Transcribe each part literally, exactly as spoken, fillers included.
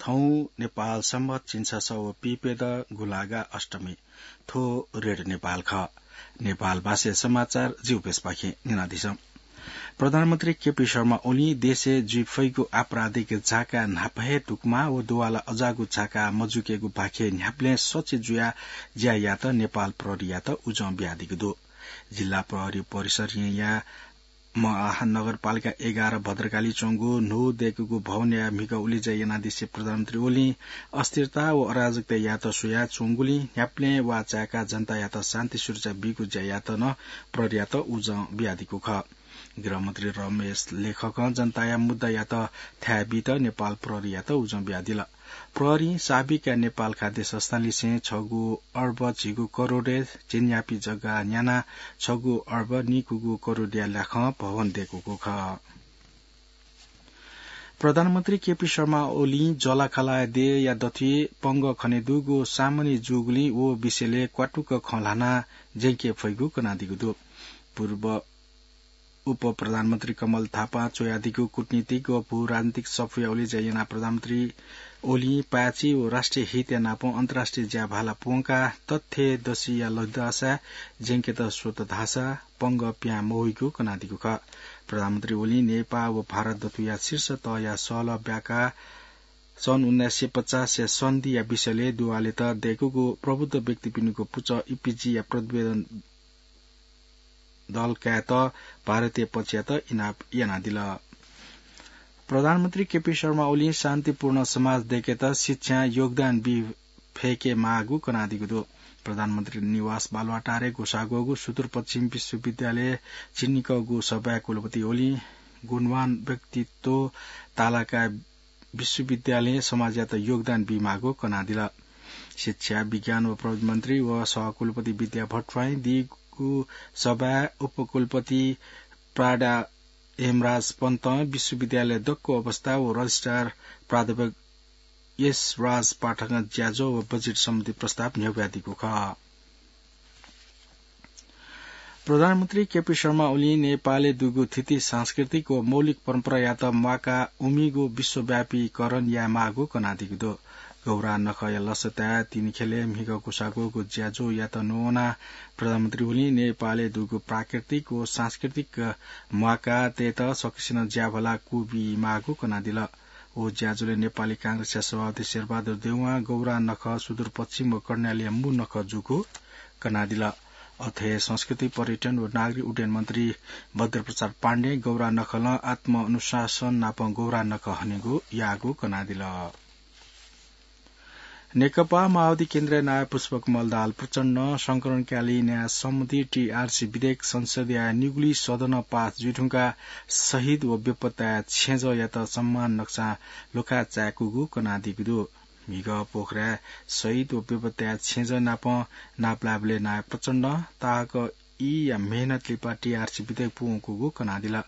थौं नेपाल सम्बत झिंछसः व पिपे द गुंलागा अष्टमी। थ्व रेडियो नेपाल खः। नेपाल भाषाया समाचार जिगु प्रेसपाखें न्यनादिसँ। प्रधानमन्त्री केपी शर्मा ओलीं देशय् जुइ फइगु आपराधिक झाका न्हापा हे दुगुमा व दुवाला अजाःगु झाका मजुइकेगु भाखे न्ह्याबलें सचे जुयाः ज्या यायेत नेपाल प्रहरीयात उजं बियादीगु दु। जिल्ला प्रहरी परिसरया महानगरपालिका एघार भद्रकाली च्वंगु न्हू दय्कूगु भवनया म्हिगः उलेज्या यानादिसे प्रधानमन्त्री ओलीं अस्थिरता व अराजकता यायेत स्वयाच्वंगुलिं न्ह्याबलें वाः चाय्काः जनतायात शान्ति सुरक्षा बीगु ज्या यायेत नं प्रहरीयात उजं बियादीगु खः। गृहमन्त्री रमेश लेखकं जनताया मुद्दायात थाय् बीत नेपाल प्रहरीयात उजं बियादिल। प्रहरीं साबिकया नेपाल खाद्य संस्थांलिसें छगू अर्ब झिगू करोडय् झिंन्यापी जग्गा न्यानाः छगू अर्ब निकूगू करोडया ल्याखं भवन दय्कूगु खः। प्रधानमन्त्री केपी शर्मा ओलीं जःलाखःलाया देय्‌या दथुइ पंगः खनेदुगु सामान्य जूगुलिं व विषयलय् क्वातुक खँ ल्हानाः ज्यंके फइगु कनादीगु दु। पूर्व उपप्रधानमन्त्री कमल थापां च्वयादीगु कूटनीतिक व भू राजनीतिक सफूया उलेज्या यानाः प्रधानमन्त्री ओलीं पाय्‌छि व राष्ट्रिय हितया नापं अन्तर्राष्ट्रिय ज्याभाला प्वंकाः तथ्य दसिया लुधंसां ज्यंकेत स्वत धाःसा पंगः पिहां मवइगु कनादीगु खः। प्रधानमन्त्री ओलीं नेपाः व भारत दथुया शीर्ष तहया सहलह ब्याकाः सन् उन्नाइस सय पचासया सन्धिया विषयलय् दुवालेत दय्कूगु प्रबुद्ध व्यक्तिपिनिगु पुचः इपिजीया प्रतिवेदन दल कायेत भारतीय पक्षयात इनाप यानादिल। प्रधानमन्त्री केपी शर्मा ओलीं शान्तिपूर्ण समाज दय्केत शिक्षां योगदान बी फय्के माःगु कनादीगु दु। प्रधानमन्त्री निवास बालुवाटारय् ग्वसाः ग्वःगु सुदूरपश्चिम विश्वविद्यालय झिंनिकःगु सभाय् कुलपति ओलीं गुणवान व्यक्तित्व तालाकाः विश्वविद्यालयं समाजयात योगदान बीमाःगु कनादिल। शिक्षा, विज्ञान व प्रविधि मन्त्री व सहकुलपति विद्या भट्टराईं दीगु सभाय् उपकुलपति प्राडा हेमराज पन्तं विश्वविद्यालय दक्व अवस्था व रजिस्ट्रार प्राध्यापक यशराज पाठकं ज्याझ्वः व बजेट सम्बन्धी प्रस्ताव न्ह्यब्वयादीगु खः। प्रधानमन्त्री केपी शर्मा ओलीं नेपालय् दुगु थीथी सांस्कृतिक व मौलिक परम्परायात म्वाकाः उमिगु विश्वव्यापीकरण यायेमाःगु कनादीगु दु। गौरा नखःया लसताय् तिनिखेलय् म्हिगः ग्वसाः ग्वःगु ज्याझ्वःयात न्ववानाः प्रधानमन्त्री ओलीं नेपालय् दुगु प्राकृतिक व सांस्कृतिक म्वाकातय्त सकसिनं ज्याभाला कूबीमाःगु कनादिल। व ज्याझ्वलय् नेपाली कांग्रेसया सभापति शेरबहादुर देउवां गौरा नखः सुदूरपश्चिम व कर्णालीया मू नखः जूगु कनादिल। अथे हे संस्कृति, पर्यटन व नागरिक उड्डयन मन्त्री बद्रप्रसाद पाण्डें गौरा नखलं आत्मअनुशासन नापं गौरा नखः हनेगु याःगु कनादिल। नेकपा माओवादी केन्द्रया नायः पुष्पकमल दाहाल प्रचण्डं संकलनकालीन न्याय सम्बन्धी टीआरसी विधेयक संसदया निगुली सदनं पास जुइधुंकाः शहीद व बेपत्ताया छेँजःयात सम्मान नकसां लुखाय् चाय्कूगु कनादीगु दु। म्हिगः पोखराय् शहीद व बेपत्ताया छेँजः नाप नापलायेबलय् नायः प्रचण्डं ताःहाकःया मेहनत लिपा टीआरसी विधेयक पूवंकूगु कनादिल।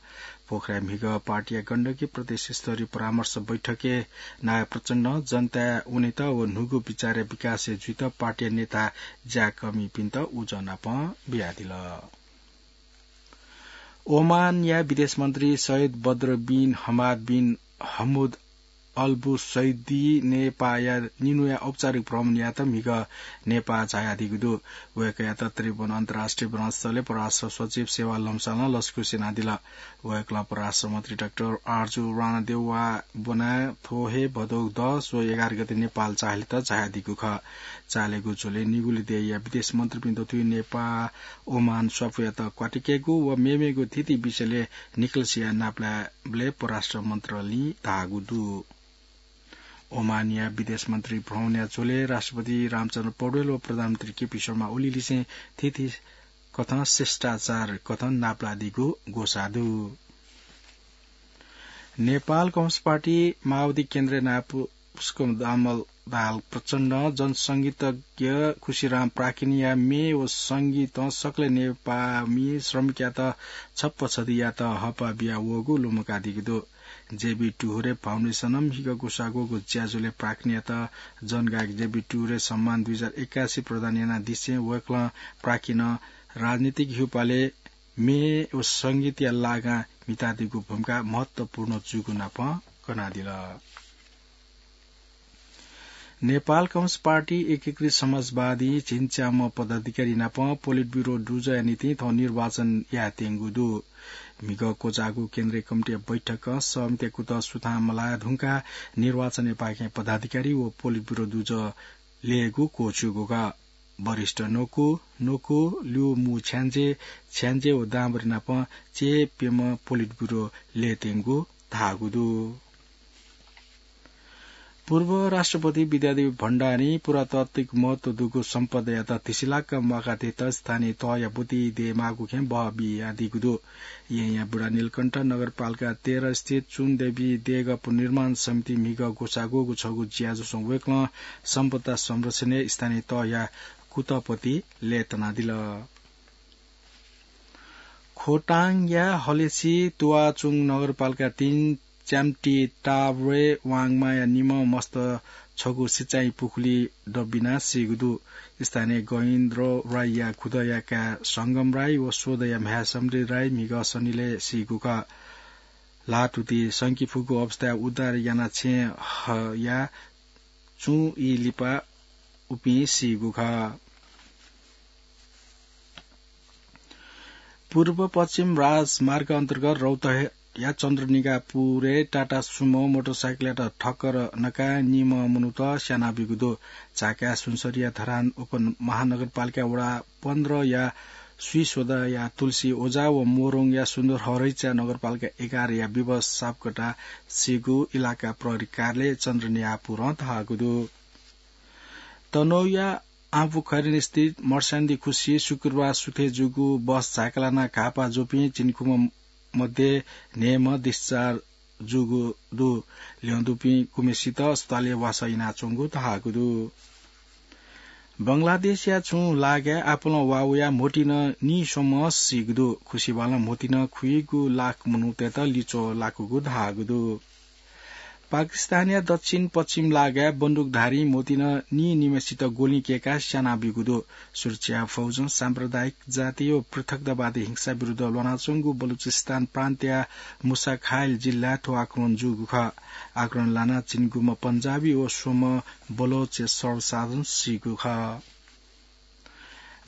पोखराय् म्हिगः पार्टीया गण्डकी प्रदेश स्तरीय परामर्श बैठकय् नायः प्रचण्डं जनताय् वनेत व न्हूगु विचारया विकासय् जुइत पार्टीया नेताः ज्याकःमिपिन्त उजं नाप बियादिल। ओमानया विदेश मन्त्री सैयद बद्र बिन हमाद बिन हमद अल बुसैदी नेपाःया निन्हुया औपचारिक भ्रमण यायेत म्हिगः नेपाः झायादीगु दु। वय्कःयात त्रिभुवन अन्तर्राष्ट्रिय विमानस्थलय् परराष्ट्र सचिव सेवा लम्सालं लसकुस यानादिल। वय्कलं परराष्ट्र मन्त्री डाक्टर आरजु राणादेउवा ब्वनाः थ्व हे भदौ दस व एघार गते नेपाल चाःहिलेत झायादीगु खः। चाःहिलेगु झ्वलय् निगुली देय्या विदेश मन्त्रीपिं दथुइ नेपाः ओमान स्वापूयात क्वातुकेगु व मेमेगु थीथी विषयलय् निकलसिया नापलायेबलय् परराष्ट्र मन्त्रालयं धाःगु दु। ओमानया विदेश मन्त्री भ्रमणया झ्वलय् राष्ट्रपति रामचन्द्र पौडेल व प्रधानमन्त्री केपी शर्मा ओलीलिसें थीथी कथं शिष्टाचार कथं नापलादीगु ग्वसाः दु। नेपाल कम्युनिस्ट पार्टी माओवादी केन्द्रया नायः पुष्पकमल दाहाल प्रचण्डं जनसंगीतज्ञ खुसीराम प्राकिनया म्ये व संगीतं सकलें नेपाःमि श्रमिकयात छप्पा छधियात हःपाः बियावःगु लुमंकादीगु दु। जेबी टुहुरे फाउन्डेसनं म्हिगः ग्वसाः ग्वःगु ज्याझ्वलय् प्राकिनयात जनगायक जेबी टुहुरे सम्मान दुई हजार एकासी प्रदान यानादिसें वय्कलं प्राकिनं राजनीतिक हिउपालय् म्ये व संगीतया लागां म्हितादीगु भूमिका महत्वपूर्ण जूगु नाप कनादिल। नेपाल कम्युनिस्ट पार्टी एकीकृत समाजवादी झिंच्याम्ह पदाधिकारी नाप पोलिट ब्युरो दुजःया निंतिं थौं निर्वाचन यायेत्यंगु दु। म्हिगः क्वचाःगु केन्द्रीय कमिटीया बैठकं सहमतिया कुतः सुथां मलाये धुंकाः निर्वाचनया पाखें पदाधिकारी व पोलिट ब्युरो दुजः लयेगु क्वःछिउगु खः। वरिष्ठ न्वकू, न्वकू, ल्यू मू छ्याञ्जे, छ्याञ्जे व दांभरि नाप चय्प्यम्ह पोलिट ब्युरो लयेत्यंगु धाःगु दु। पूर्व राष्ट्रपति विद्यादेवी भण्डारीं पुरातात्विक महत्व दुगु सम्पदायात धिसिलाक म्वाकाः तयेत स्थानीय तहया ब्वति दयेमाःगु खँय् बहः बियादीगु दु। येँया बुढानीलकण्ठ नगरपालिका तेह्र स्थित चुनदेवी देगः पुनर्निर्माण समिति म्हिगः ग्वसाः ग्वःगु छगू ज्याझ्वलय् वय्कलं सम्पदा संरक्षणय् स्थानीय तहया कुतःपति लय्तानादिल। खोटाङया हलेसी तुवाचुङ नगरपालिका तीन च्याम्टी टाब्रे वाङमाया निम्ह मस्त छगू सिँचाइ पुखुली दबिनाः सीगु दु। स्थानीय गहिन्द्र राईया खुदँया काय् संगम राई व स्वदँया म्ह्याय् समृद्धि राई म्हिगः सनिलय् सीगु खः। ल्हातुति संके फुगु अवस्थाय् उद्धार यानाः छेँ हया चुं ई लिपा उपिं सीगु खः। पूर्व पश्चिम राजमार्ग अन्तर्गत रौतहया चन्द्रनिगापुरय् टाटा सुमो मोटरसाइकलयात ठक्कर नकाः निम्ह मनूत स्यानाबीगु दु। झाकाय् सुनसरीया धरान उपमहानगरपालिका वडा पन्ध्रया स्वीस्वदँया तुलसी ओझा व मोरोङया सुन्दरहरैचा नगरपालिका एघारया विवश सापकोटा सीगु इलाका प्रहरी कार्यालय चन्द्रनिगापुरं धाःगु दु। तनहुँया आँपुखैरेन स्थित मर्स्याङदी खुसी शुक्रबार सुथय् जूगु बस झायेका लानाः घाःपाः जूपिं झिंनिखुम्ह मध्ये न्हय्म्ह discharge जूगु दु। ल्यं दुपिं गुम्हेसित अस्पतालय् वासः यानाच्वंगु धाःगु दु। बंगलादेशया छुं लागाय् आपालं वा वयाः म्होतिं नीस्वम्ह सीगु दु। खुसिबालं म्होतिं खुइगू लाख मनूतय्त लिच्वः लाकूगु धाःगु दु। पाकिस्तानया दक्षिण पश्चिम लागाय् बन्दुकधारीं म्होतिं नीनिम्हेसित गोलिं कय्काः स्यानाबीगु दु। सुरक्षा फौजं साम्प्रदायिक जातीय व पृथकतावादी हिंसा विरुद्ध ल्वानाच्वंगु बलुचिस्तान प्रान्तया मुसा खाइल जिल्लाय् थ्व आक्रमण जूगु खः। आक्रमण लानाः झिंनिखुम्ह पन्जाबी व स्वम्ह बलोच सर्वसाधारण सीगु खः।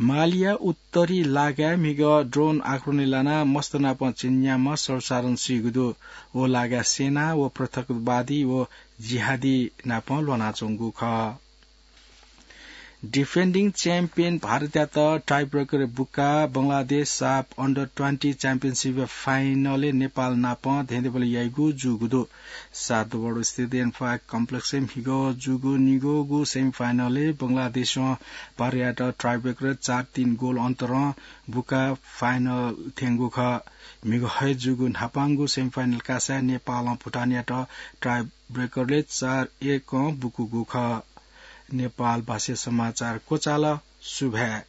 मालिया उत्तरी लागाय् म्हिगः drone आक्रमणय् लानाः मस्त नाप झिंन्याम्ह सर्वसाधारण सीगु दु। व लागाय् सेना व पृथकवादी व जिहादी नाप ल्वानाच्वंगु खः। Defending champion भारतयात tiebreaker बुकाः बंगलादेश साफ under twenty championship final य् नेपाल नाप धेंधेंबलय् याइगु जूगु दु। सातवडस्थित एन्फा complexय् म्हिगः जूगु निगःगु semifinalय् बंगलादेशं भारतयात tiebreaker चार तीन गोल अन्तरं बुकाः final थ्यंगु खः। म्हिगः हे जूगु न्हापांगु semifinal कासाय् नेपालं भुटानयात tiebreakerलय् चार एकं बुकूगु खः। नेपाल भाषाय् समाचार क्वचाल। सुभाय्।